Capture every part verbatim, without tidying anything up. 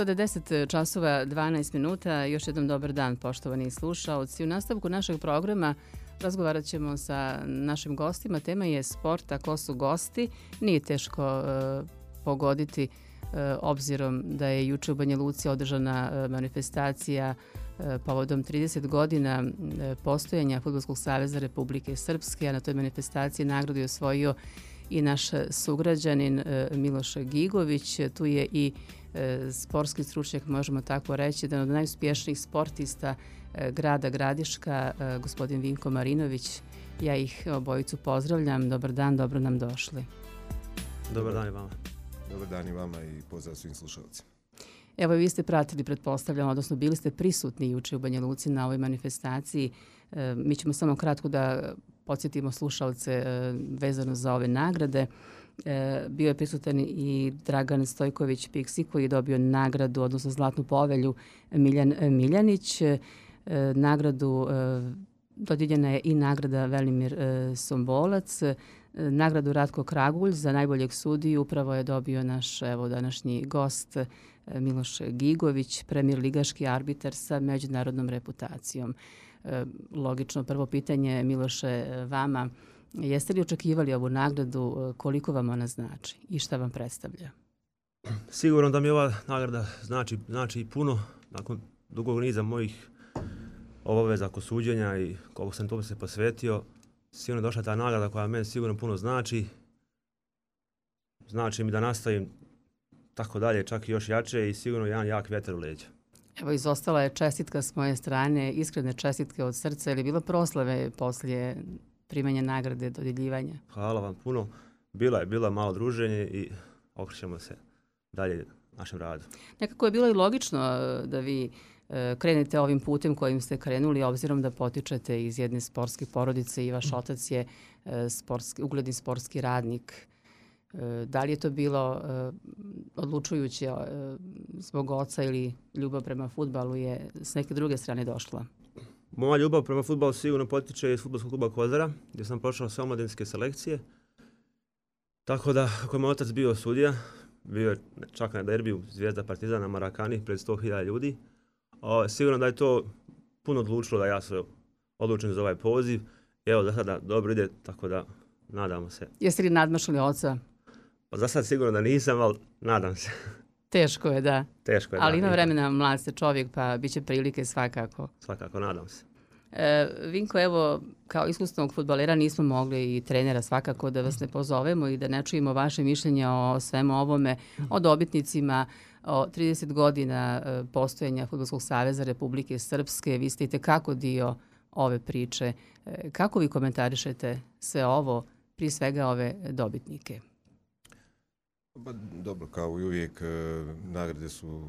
Sada je deset časova dvanaest minuta. Još jednom dobar dan, poštovani slušaoci. U nastavku našeg programa razgovarat ćemo sa našim gostima. Tema je sport, a ko su gosti. Nije teško uh, pogoditi uh, obzirom da je juče u Banja Luci održana uh, manifestacija uh, povodom trideset godina uh, postojanja Fudbalskog saveza Republike Srpske, a na toj manifestaciji nagradu je osvojio i naš sugrađanin uh, Miloš Gigović. Tu je i sportski stručnjak, možemo tako reći, jedan od najuspješnijih sportista grada Gradiška, gospodin Vinko Marinović. Ja ih obojicu pozdravljam. Dobar dan, dobro nam došli. Dobar dan i vama. Dobar dan i vama i pozdrav svim slušalcima. Evo, vi ste pratili, pretpostavljam, odnosno bili ste prisutni juče u Banja Luci na ovoj manifestaciji. Mi ćemo samo kratko da podsjetimo slušalce vezano za ove nagrade. Bio je prisutan i Dragan Stojković Piksi koji je dobio nagradu, odnosno Zlatnu povelju Miljan Miljanić. Nagradu dodijeljena je i nagrada Velimir Sombolac. Nagradu Ratko Kragulj za najboljeg sudiju upravo je dobio naš evo današnji gost Miloš Gigović, premijer ligaški arbitar sa međunarodnom reputacijom. Logično, prvo pitanje, Miloše, vama. Jeste li očekivali ovu nagradu, koliko vam ona znači i šta vam predstavlja? Sigurno da mi ova nagrada znači, znači puno. Nakon dugog niza mojih obaveza oko suđenja i koliko sam tome se posvetio, sigurno je došla ta nagrada koja meni sigurno puno znači. Znači mi da nastavim tako dalje, čak i još jače i sigurno jedan jak vjetar u leđa. Evo, izostala je čestitka s moje strane, iskrene čestitke od srca. Je li bilo proslave poslije primanja nagrade, dodjeljivanja? Hvala vam puno. Bila je, bila malo druženje i okrećemo se dalje našem radu. Nekako je bilo i logično da vi krenete ovim putem kojim ste krenuli, obzirom da potičete iz jedne sportske porodice i vaš otac je sportski, ugledni sportski radnik. Da li je to bilo odlučujuće zbog oca ili ljubav prema fudbalu je s neke druge strane došla? Moja ljubav prema fudbalu sigurno potiče iz fudbalskog kluba Kozara, gdje sam prošao sve omladinske selekcije. Tako da, ako je moj otac bio sudija, bio je čak na derbiju Zvijezda Partizana Marakani pred sto hiljada ljudi. O, sigurno da je to puno odlučilo da ja se odlučim za ovaj poziv. Evo, za sada dobro ide, tako da nadamo se. Jeste li nadmašili oca? Pa za sad sigurno da nisam, ali nadam se. Teško je, da. Teško je, ali da. Ima vremena, mlad ste čovjek, pa bit će prilike svakako. Svakako, nadam se. E, Vinko, evo, kao iskusnog fudbalera nismo mogli i trenera svakako da vas ne pozovemo i da ne čujemo vaše mišljenje o svemu ovome, o dobitnicima, o trideset godina postojanja Fudbalskog saveza Republike Srpske. Vi ste itekako dio ove priče. E, kako vi komentarišete sve ovo, prije svega ove dobitnike? Pa, dobro, kao i uvijek, nagrade su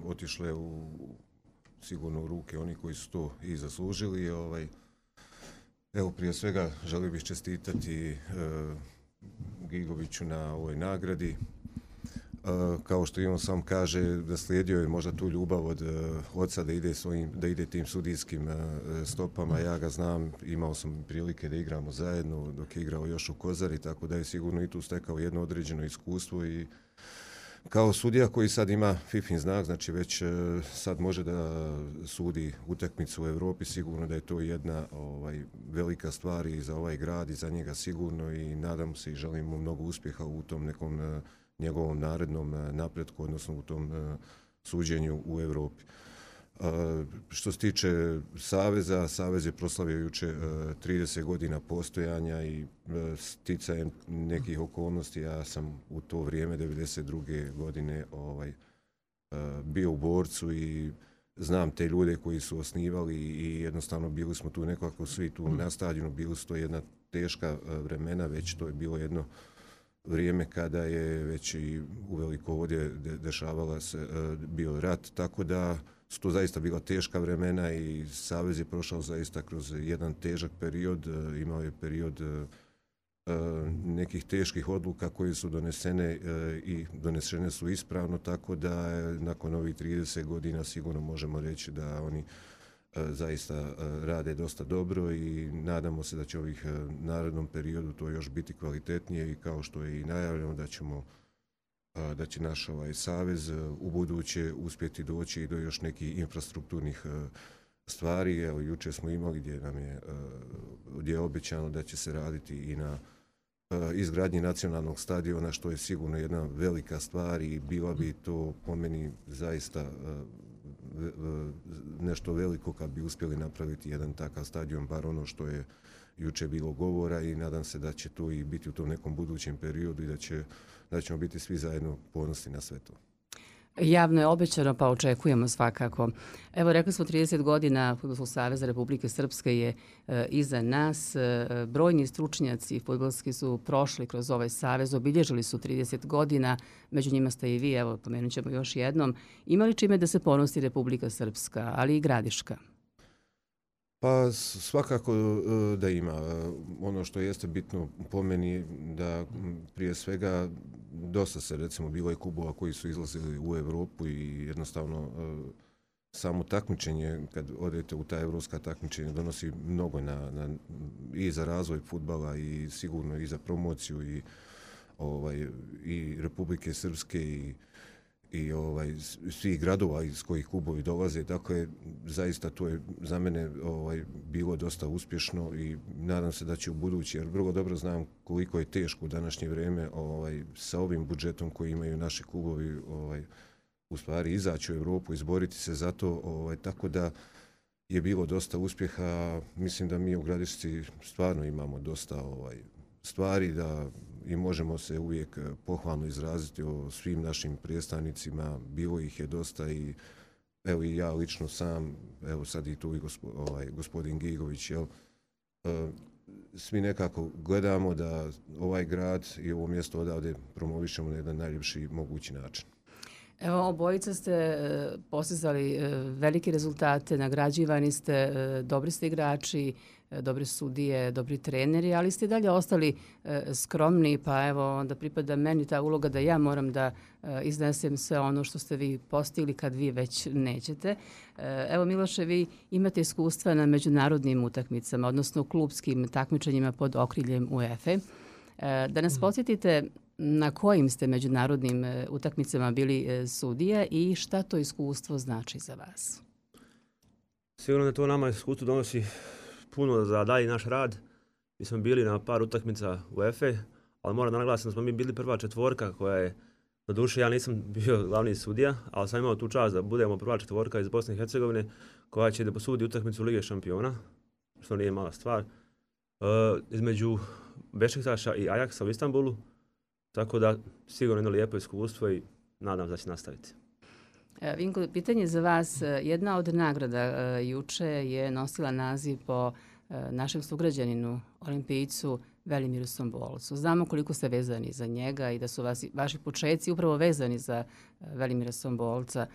otišle u sigurno u ruke oni koji su to i zaslužili. Ovaj, evo, prije svega želio bih čestitati e, Gigoviću na ovoj nagradi. E, kao što i on sam kaže, da slijedio je možda tu ljubav od e, oca da ide, svojim, da ide tim sudijskim e, stopama. Ja ga znam, imao sam prilike da igramo zajedno dok je igrao još u Kozari, tako da je sigurno i tu stekao jedno određeno iskustvo i kao sudija koji sad ima fifin znak, znači već sad može da sudi utakmicu u Europi, sigurno da je to jedna ovaj, velika stvar i za ovaj grad i za njega sigurno i nadam se i želim mu mnogo uspjeha u tom nekom uh, njegovom narednom uh, napretku, odnosno u tom uh, suđenju u Europi. Uh, što se tiče Saveza, Savez je proslavio juče uh, trideset godina postojanja i uh, sticajem nekih okolnosti, ja sam u to vrijeme devedeset druge godine ovaj, uh, bio u Borcu i znam te ljude koji su osnivali i jednostavno bili smo tu nekako svi tu na stadionu, bili su to jedna teška uh, vremena, već to je bilo jedno vrijeme kada je već i uveliko ovdje de- dešavala se uh, bio rat, tako da su to zaista bila teška vremena i Savez je prošao zaista kroz jedan težak period, imao je period nekih teških odluka koje su donesene i donesene su ispravno, tako da nakon ovih trideset godina sigurno možemo reći da oni zaista rade dosta dobro i nadamo se da će ovih narednom periodu to još biti kvalitetnije i kao što je i najavljeno da ćemo da će naš ovaj savez u buduće uspjeti doći i do još nekih infrastrukturnih stvari. Evo, jučer smo imali gdje nam je, gdje je obećano da će se raditi i na izgradnji nacionalnog stadiona, što je sigurno jedna velika stvar i bila bi to po meni zaista nešto veliko kad bi uspjeli napraviti jedan takav stadion, bar ono što je jučer bilo govora, i nadam se da će to i biti u tom nekom budućem periodu i da, će, da ćemo biti svi zajedno ponosni na sve to. Javno je obećano, pa očekujemo svakako. Evo, rekli smo trideset godina Fudbalskog saveza Republike Srpske je e, iza nas. E, brojni stručnjaci fudbalski su prošli kroz ovaj savez, obilježili su trideset godina, među njima ste i vi, evo, pomenut ćemo još jednom. Imali čime da se ponosi Republika Srpska, ali i Gradiška? Pa svakako da ima. Ono što jeste bitno po meni da prije svega dosta se recimo bilo je klubova koji su izlazili u Europu i jednostavno samo takmičenje, kad odete u ta evropska takmičenja, donosi mnogo na, na, i za razvoj fudbala i sigurno i za promociju i, ovaj, i Republike Srpske i i ovaj, svih gradova iz kojih klubovi dolaze. Dakle, zaista to je za mene ovaj, bilo dosta uspješno i nadam se da će u budući, jer vrlo dobro znam koliko je teško u današnje vrijeme ovaj, sa ovim budžetom koji imaju naši klubovi ovaj, u stvari izaći u Europu, izboriti se za to, ovaj, tako da je bilo dosta uspjeha. Mislim da mi u Gradišci stvarno imamo dosta ovaj, stvari da i možemo se uvijek pohvalno izraziti o svim našim predstavnicima, bilo ih je dosta i evo i ja lično sam, evo sad i tu i gospo, ovaj, gospodin Gigović, jel, e, svi nekako gledamo da ovaj grad i ovo mjesto odavde promovišemo na jedan najljepši mogući način. Evo, obojica ste e, postizali e, velike rezultate, nagrađivani ste, e, dobri ste igrači, e, dobri sudije, dobri treneri, ali ste dalje ostali e, skromni, pa evo onda pripada meni ta uloga da ja moram da e, iznesem sve ono što ste vi postigli kad vi već nećete. E, evo, Miloše, vi imate iskustva na međunarodnim utakmicama, odnosno klubskim takmičenjima pod okriljem UEFA. E, da nas podsjetite na kojim ste međunarodnim e, utakmicama bili e, sudija i šta to iskustvo znači za vas? Sigurno da to nama iskustvo donosi puno za dalji naš rad. Mi smo bili na par utakmica UEFA, ali moram da naglasim da smo mi bili prva četvorka koja je, do duše ja nisam bio glavni sudija, ali sam imao tu čast da budemo prva četvorka iz Bosne i Hercegovine koja će da posudi utakmicu Lige šampiona, što nije mala stvar, e, između Bešiktaša i Ajaksa u Istanbulu. Tako da sigurno jedno lijepo iskustvo i nadam se da će nastaviti. Vinko, pitanje za vas. Jedna od nagrada juče je nosila naziv po našem sugrađaninu, olimpijcu Velimiru Sombolcu. Znamo koliko ste vezani za njega i da su vas, vaši početci upravo vezani za Velimira Sombolca.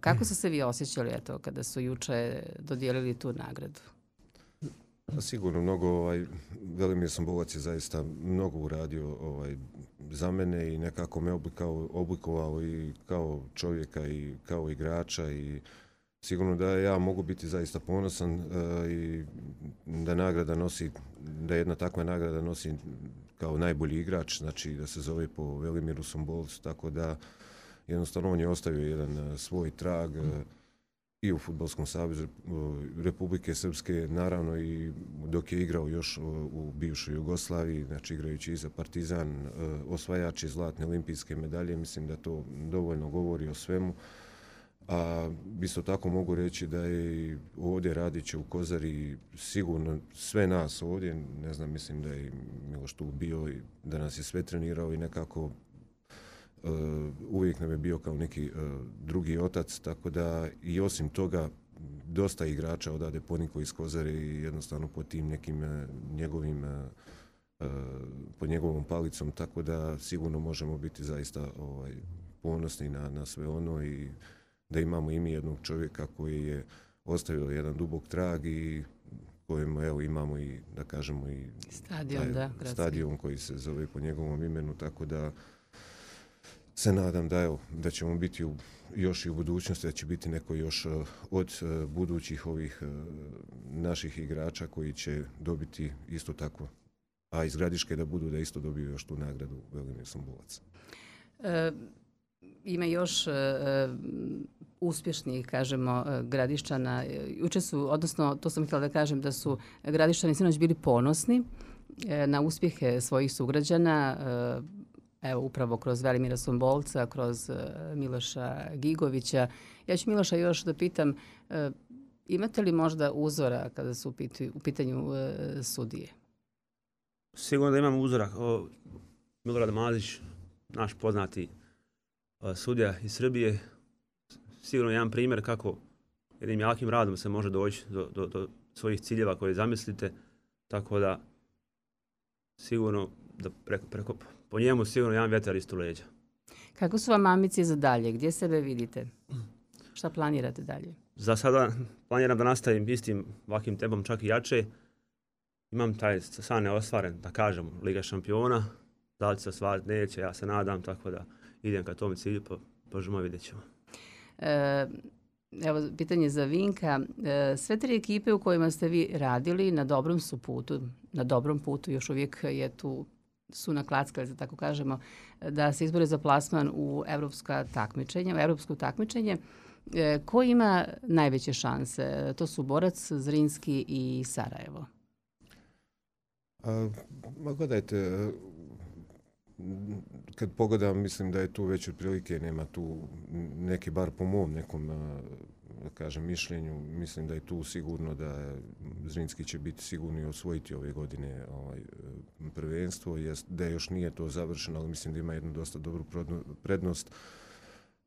Kako ste se vi osjećali eto, kada su juče dodijelili tu nagradu? Sigurno mnogo, ovaj, Velimir Sombolac je zaista mnogo uradio ovaj, za mene i nekako me oblikao, oblikovao i kao čovjeka i kao igrača i sigurno da ja mogu biti zaista ponosan uh, i da nagrada nosi, da jedna takva nagrada nosi kao najbolji igrač, znači da se zove po Velimiru Sombolcu, tako da jednostavno on je ostavio jedan uh, svoj trag uh, i u Fudbalskom savezu Republike Srpske, naravno i dok je igrao još u bivšoj Jugoslaviji, znači igrajući i za Partizan, osvajači zlatne olimpijske medalje, mislim da to dovoljno govori o svemu. A isto tako mogu reći da je ovdje radiće u Kozari sigurno sve nas ovdje, ne znam, mislim da je Miloš tu bio i da nas je sve trenirao i nekako Uh, uvijek nam je bio kao neki uh, drugi otac, tako da i osim toga dosta igrača odade poniko iz Kozare i jednostavno po tim nekim uh, njegovim uh, uh, pod njegovom palicom, tako da sigurno možemo biti zaista ovaj, ponosni na, na sve ono i da imamo i mi jednog čovjeka koji je ostavio jedan dubok trag i kojem evo imamo i da kažemo i stadion, da, stadion koji se zove po njegovom imenu, tako da se nadam da, evo, da ćemo biti u, još i u budućnosti, da će biti neko još uh, od uh, budućih ovih uh, naših igrača koji će dobiti isto tako, a iz Gradiške da budu da isto dobiju još tu nagradu Velimir Sombolac. E, ima još e, uspješnih, kažemo, Gradišćana. Juče su, odnosno, to sam htjela da kažem, da su Gradišćani sinoć bili ponosni e, na uspjehe svojih sugrađana, e, evo upravo kroz Velimira Sombolca, kroz e, Miloša Gigovića. Ja ću Miloša još da pitam, e, imate li možda uzora kada su u, pitu, u pitanju e, sudije? Sigurno da imam uzora. O, Milorad Mazić, naš poznati o, sudija iz Srbije, sigurno jedan primjer kako jednim jakim radom se može doći do, do, do svojih ciljeva koje zamislite, tako da sigurno da preko, preko, po njemu sigurno jedan vjetar isto leđa. Kako su vam ambicije za dalje? Gdje sebe vidite? Šta planirate dalje? Za sada planiram da nastavim istim ovakvim tempom, čak i jače. Imam taj san neostvaren, da kažem, Liga šampiona. Da li će se ostvariti, neće, ja se nadam, tako da idem ka tom cilju, pa možemo vidjet ćemo. E, evo, pitanje za Vinka. E, sve tri ekipe u kojima ste vi radili na dobrom su putu, na dobrom putu, još uvijek je tu, su naklackali, da tako kažemo, da se izbore za plasman u evropska takmičenja, u evropsko takmičenje. E, ko ima najveće šanse? To su Borac, Zrinski i Sarajevo. A, ma gledajte, kad pogledam, mislim da je tu već otprilike, nema tu neki, bar po mom nekom, da kažem, mišljenju, mislim da je tu sigurno da Zrinski će biti sigurno i osvojiti ove godine ovaj, prvenstvo, jest, da još nije to završeno, ali mislim da ima jednu dosta dobru prednost,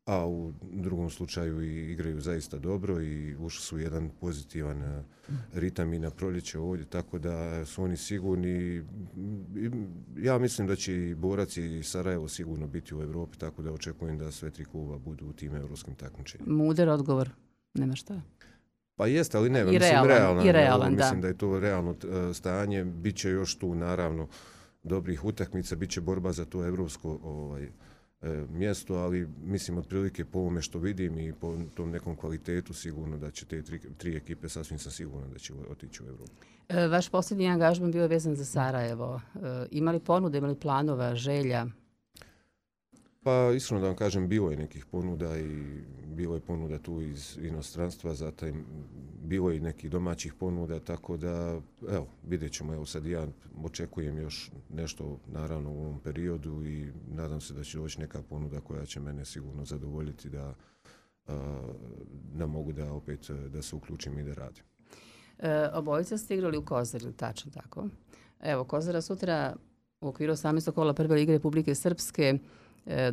a u drugom slučaju i igraju zaista dobro i ušli su jedan pozitivan ritam i na proljeće ovdje, tako da su oni sigurni. Ja mislim da će i Borac i Sarajevo sigurno biti u Evropi, tako da očekujem da sve tri kluba budu u tim evropskim takmičenjima. Mudar odgovor, nema šta. Pa jeste, ali ne, I mislim realan, realno, i realan, mislim da. da je to realno stanje, biće još tu naravno dobrih utakmica, biće borba za to evropsko ovaj, mjesto, ali mislim otprilike po ovome što vidim i po tom nekom kvalitetu sigurno da će te tri, tri ekipe sasvim sam siguran da će otići u Evropu. E, vaš posljednji angažman bio je vezan za Sarajevo. E, imali ponude, imali planova, želja? Pa iskreno da vam kažem, bilo je nekih ponuda i bilo je ponuda tu iz inostranstva, zatim bilo je i nekih domaćih ponuda, tako da evo, vidjet ćemo, evo sad ja očekujem još nešto naravno u ovom periodu i nadam se da će doći neka ponuda koja će mene sigurno zadovoljiti da, da mogu da opet da se uključim i da radim. E, obojica ste igrali u Kozari, tačno tako. Evo, Kozara sutra u okviru osamnaestog kola prve lige Republike Srpske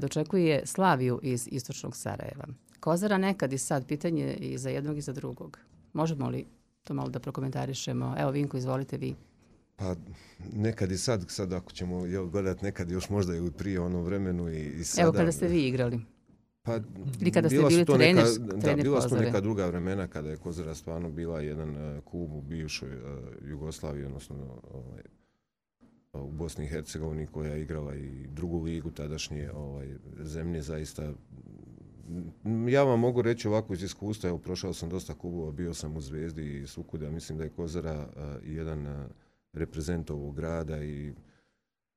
dočekuje Slaviju iz istočnog Sarajeva. Kozara nekad i sad, pitanje i za jednog i za drugog. Možemo li to malo da prokomentarišemo? Evo, Vinko, izvolite vi. Pa nekad i sad, sad ako ćemo gledati nekad još možda i prije ono vremenu i, i sada. Evo kada ste vi igrali. Pa, ili kada ste bili trener, neka, trener da, bila su Kozare. neka druga vremena kada je Kozara stvarno bila jedan uh, klub u bivšoj uh, Jugoslaviji, odnosno ovaj, u Bosni i Hercegovini koja je igrala i drugu ligu tadašnje ovaj, zemlje zaista. Ja vam mogu reći ovako iz iskustva, evo prošao sam dosta klubova, bio sam u Zvezdi i svukuda, mislim da je Kozara uh, jedan uh, reprezent ovog grada i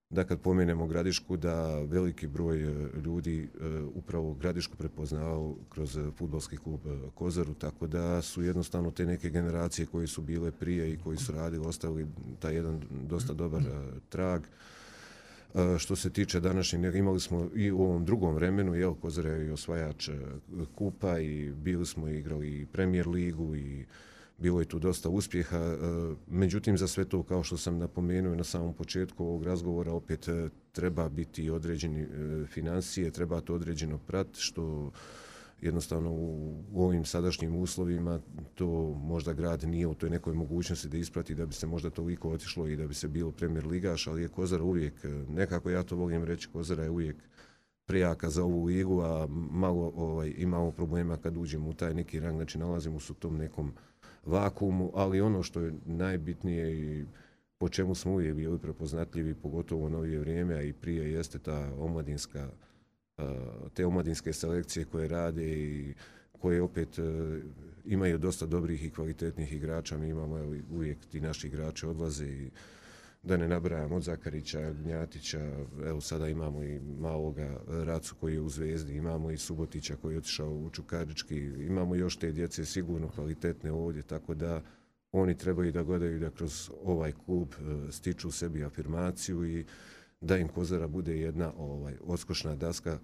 da kad pomenemo Gradišku da veliki broj ljudi uh, upravo Gradišku prepoznao kroz fudbalski klub uh, Kozaru, tako da su jednostavno te neke generacije koje su bile prije i koji su radili ostavili taj jedan dosta dobar uh, trag. Uh, što se tiče današnjeg, imali smo i u ovom drugom vremenu, jel, Kozara je i osvajač uh, kupa i bili smo igrali i Premier ligu i bilo je tu dosta uspjeha, međutim za sve to, kao što sam napomenuo na samom početku ovog razgovora, opet treba biti određeni financije, treba to određeno prat, što jednostavno u, u ovim sadašnjim uslovima to možda grad nije u toj nekoj mogućnosti da isprati da bi se možda toliko otišlo i da bi se bilo Premier ligaš, ali je Kozara uvijek, nekako ja to volim reći, Kozara je uvijek prejaka za ovu ligu, a malo ovaj, imamo problema kad uđemo u taj neki rang, znači nalazimo se u tom nekom vakuumu, ali ono što je najbitnije i po čemu smo uvijek bili prepoznatljivi, pogotovo u novije vrijeme, a i prije, jeste ta omladinska, te omladinske selekcije koje rade i koje opet imaju dosta dobrih i kvalitetnih igrača. Mi imamo uvijek ti naši igrači odlaze i da ne nabrajam od Zakarića, Gnjatića, evo sada imamo i maloga Racu koji je u Zvezdi, imamo i Subotića koji je otišao u Čukarički, imamo još te djece sigurno kvalitetne ovdje, tako da oni trebaju da gledaju da kroz ovaj klub stiču sebi afirmaciju i da im Kozara bude jedna ovaj, odskočna daska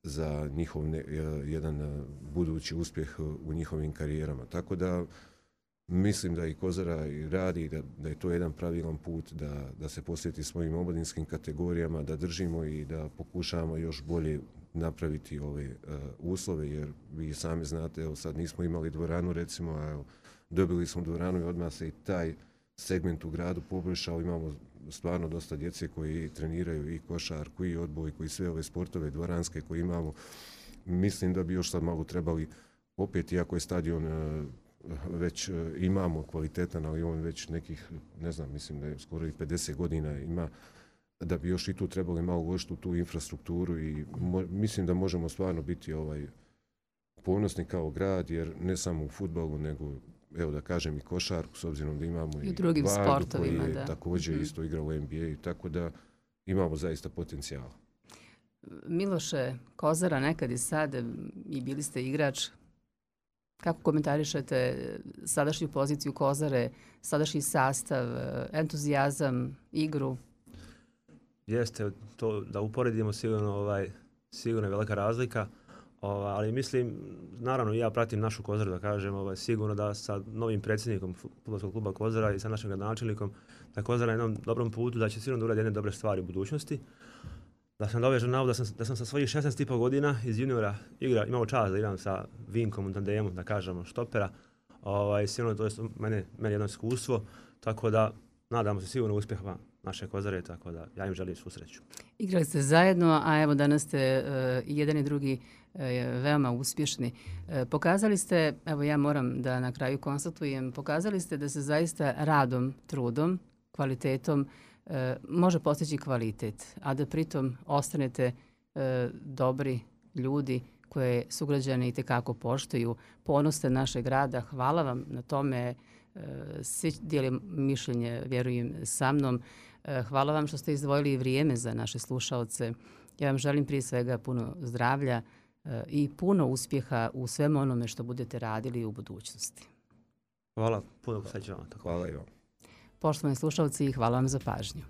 za njihov ne, jedan budući uspjeh u njihovim karijerama. Tako da mislim da i Kozara i radi, da, da je to jedan pravilan put, da, da se posveti svojim omladinskim kategorijama, da držimo i da pokušavamo još bolje napraviti ove uh, uslove, jer vi sami znate, evo sad nismo imali dvoranu recimo, a evo, dobili smo dvoranu i odmah se i taj segment u gradu poboljšao. Imamo stvarno dosta djece koji treniraju i košarku i odbojku i sve ove sportove dvoranske koje imamo. Mislim da bi još sad malo trebali opet, iako je stadion uh, već uh, imamo kvalitetan, ali on već nekih, ne znam, mislim da je skoro i pedeset godina ima, da bi još i tu trebali malo uložiti u tu infrastrukturu i mo- mislim da možemo stvarno biti ovaj ponosni kao grad, jer ne samo u fudbalu, nego evo da kažem i košarku, s obzirom da imamo i, i drugim Vardu koji je da. također mm-hmm. isto igrao u N B A, tako da imamo zaista potencijala. Miloše, Kozara nekad i sad i bili ste igrač. Kako komentarišete sadašnju poziciju Kozare, sadašnji sastav, entuzijazam, igru? Jeste, to da uporedimo sigurno, ovaj, sigurno je velika razlika. Ova, ali mislim, naravno ja pratim našu Kozaru da kažem, ovaj, sigurno da sa novim predsjednikom fudbalskog kluba Kozara i sa našim gradonačelnikom da Kozara na jednom dobrom putu, da će sigurno da uradi jedne dobre stvari u budućnosti. Da sam dovežem navod da sam, da sam sa svojih šesnaest i pol godina iz juniora igra, imao čast da igram sa Vinkom u tandemu, da kažemo, štopera. Ovaj, sigurno to je mene, meni jedno iskustvo, tako da nadamo se sigurno uspjeha naše Kozare, tako da ja im želim svu sreću. Igrali ste zajedno, a evo danas ste uh, jedan i drugi uh, veoma uspješni. Uh, pokazali ste, evo ja moram da na kraju konstatujem, pokazali ste da se zaista radom, trudom, kvalitetom uh, može postići kvalitet, a da pritom ostanete uh, dobri ljudi koje sugrađani itekako poštuju. Ponos ste našeg grada, hvala vam na tome. Uh, svi dijeli mišljenje, vjerujem, sa mnom. Hvala vam što ste izdvojili vrijeme za naše slušaoce. Ja vam želim prije svega puno zdravlja i puno uspjeha u svemu onome što budete radili u budućnosti. Hvala, puno sreće vam. Hvala i vam. Poštovani slušaoci, hvala vam za pažnju.